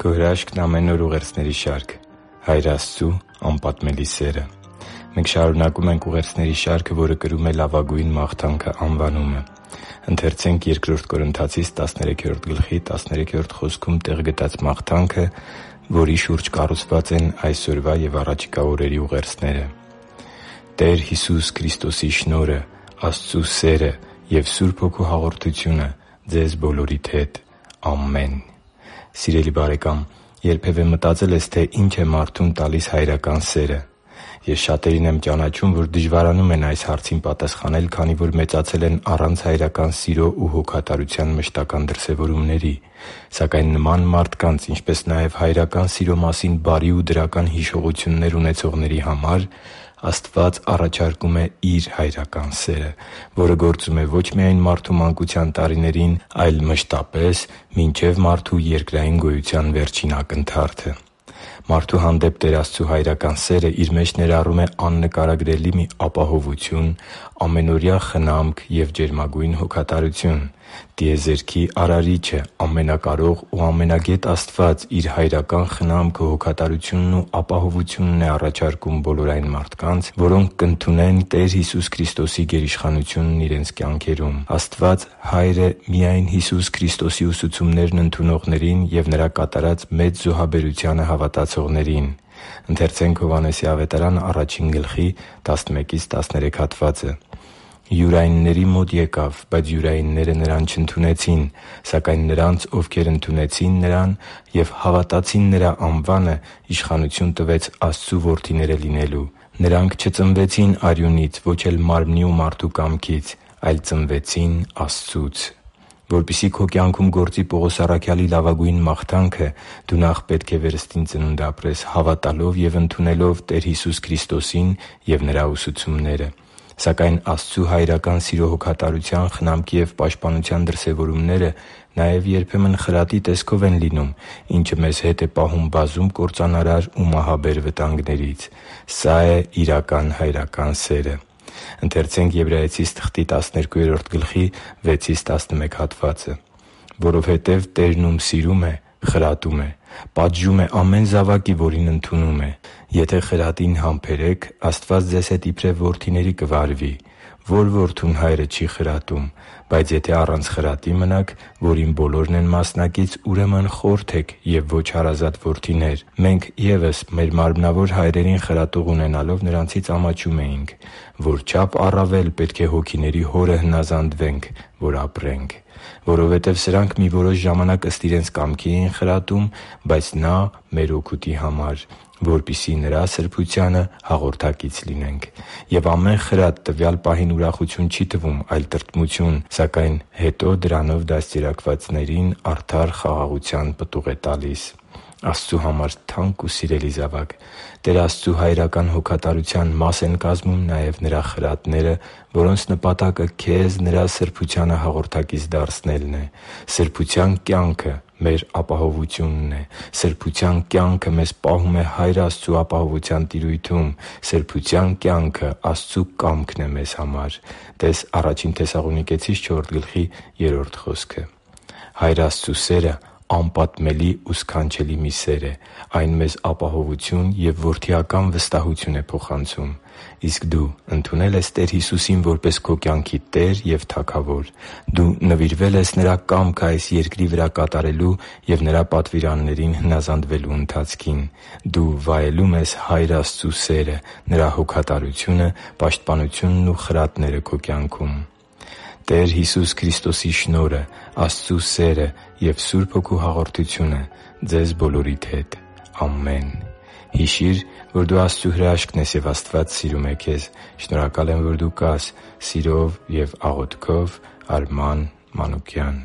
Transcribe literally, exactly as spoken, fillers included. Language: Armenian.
Քո հրաշքն ամեն օր ուղերձների շարք Հայր Աստծու անպատմելի սերը։ Մենք շարունակում ենք ուղերձների շարքը, որը կրում է «Լավագույն մաղթանքը» անվանումը։ Ընթերցենք Բ Կորնթացիս տասներեքրորդ գլխի տասներեքրորդ խոսքում տեղ գտած մաղթանքը, որի շուրջ կառուցված են այսօրվա և առաջիկա օրերի ուղերձները։ Տեր Հիսուս Քրիստոսի շնորհը, Աստծու սերը և Սուրբ Հոգու հաղորդությունը ձեզ բոլորիդ հետ։ Ամեն։ Սիրելի՛ բարեկամ, երբևէ մտածե՞լ ես, թե ինչ է մարդուն տալիս հայրական սերը։ Ես շատերին եմ ճանաչում, որ դժվարանում են այս հարցին պատասխանել, քանի որ մեծացել են առանց հայրական սիրո ու հոգատարության մշտական դրսևորումների։ Սակայն նման մարդկանց, ինչպես նաև հայրական սիրո մասին բարի ու դրական հիշողություններ ունեցողների համար Աստված առաջարկում է Իր հայրական սերը, որը գործում է ոչ միայն մարդու մանկության տարիներին, այլ մշտապես մինչև մարդու երկրային գոյության վերջին ակնթարթը։ Մարդու հանդեպ Տեր Աստծու հայրական սերը իր մեջ ներառում է աննկարագրելի մի ապահովություն, ամենօրյա խնամք և ջերմագույն հոգատարություն։ Տիեզերքի Արարիչը՝ ամենակարող ու ամենագետ Աստված Իր հայրական խնամքը, հոգատարությունն ու ապահովությունն է առաջարկում բոլոր այն մարդկանց, որոնք կընդունեն Տեր Հիսուս Քրիստոսի գերիշխանությունն իրենց կյանքերում։ Աստված Հայրը միայն Հիսուս Քրիստոսի ուսուցումներն ընդունողներին և Նրա կատարած մեծ զոհաբերությանը հավատացողներին։ «Յուրայինների մոտ եկավ, բայց յուրայինները Նրան չընդունեցին։ Սակայն նրանց, ովքեր ընդունեցին Նրան և հավատացին Նրա անվանը, իշխանություն տվեց Աստծու որդիները լինելու։ Նրանք չծնվեցին արյունից, ոչ էլ մարմնի ու մարդու կամքից, այլ ծնվեցին Աստծուց» (Հովհաննես Որպեսզի քո կյանքում գործի Պողոս առաքյալի լավագույն մաղթանքը, դու նախ պետք է վերստին ծնունդ ապրես՝ հավատալով և ընդունելով Տեր Հիսուս Քրիստոսին և Նրա ուսուցումները։ Սակայն Աստծու հայրական սիրո հոգատարության, խնամքի և պաշտպանության դրսևորումները նաև երբեմն խրատի տեսքով են լինում, ինչը մեզ հետ է պահում բազում կործանարար ու մահաբեր վտանգներից։ Սա է իրական հայրական սերը։ «Որովհետև Տերն ում սիրում է, խրատում է, պատժում է ամեն զավակի, որին ընդունում է։ Եթե խրատին համբերեք, Աստված ձեզ հետ իբրև որդիների կվարվի։ Ո՞ր որդուն հայրը չի խրատում։ Բայց եթե առանց խրատի մնաք, որին բոլորն են մասնակից, ուրեմն խորթ եք և ոչ հարազատ որդիներ։ Մենք ևս մեր մարմնավոր հայրերին խրատող ունենալով նրանցից ամաչում էինք։ Որչափ առավել պետք է հոգիների Հորը հնազանդվենք, որ ապրենք։ Որովհետև սրանք մի որոշ ժամանակ ըստ իրենց կամքի էին խրատում, բայց Նա մեր օգուտի համար, որպեսզի Նրա սրբությանը հաղորդակից լինենք։ Եվ ամեն խրատ տվյալ պահին ուրախություն չի տվում, այլ տրտմություն, սակայն հետո դրանով դաստիարակվածներին արդար խաղաղության պտուղ է տալիս» (Եբրայեցիս Աստծու համար թանկ ու սիրելի՛ զավակ, Տեր Աստծու հայրական հոգատարության մաս են կազմում նաև Նրա խրատները, որոնց նպատակը քեզ Նրա սրբությանը հաղորդակից դարձնելն է։ Սրբության կյանքը մեր ապահովությունն է։ Սրբության կյանքը մեզ պահում է Հայր Աստծու ապահովության տիրույթում։ Սրբության կյանքը Աստծու կամքն է մեզ համար (տե՛ս Ա Թեսաղոնիկեցիս չորրորդ գլխի երրորդ խոսքը)։ Հայր Աստծու սերը անպատմելի ու սքանչելի մի սեր է։ Այն մեզ ապահովություն և որդիական վստահություն է փոխանցում։ Իսկ դու ընդունե՞լ ես Տեր Հիսուսին որպես քո կյանքի Տեր և Թագավոր։ Դու նվիրվե՞լ ես Նրա կամքը այս երկրի վրա կատարելու և Նրա պատվիրաններին հնազանդվելու ընթացքին։ Դու վայելո՞ւմ ես Հայր Աստծու սերը, Նրա հոգատարությունը, պաշտպանությունն ու խրատները քո կյանքում։ Տեր Հիսուս Քրիստոսի շնորհը, Աստծու սերը և Սուրբ Հոգու հաղորդությունը ձեզ բոլորիդ հետ։ Ամեն։ Հիշի՛ր, որ դու Աստծո հրաշքն ես, և Աստված սիրում է քեզ։ Շնորհակալ եմ, որ դու կա՛ս։ Սիրով և աղոթքով, Արման Մանուկյան։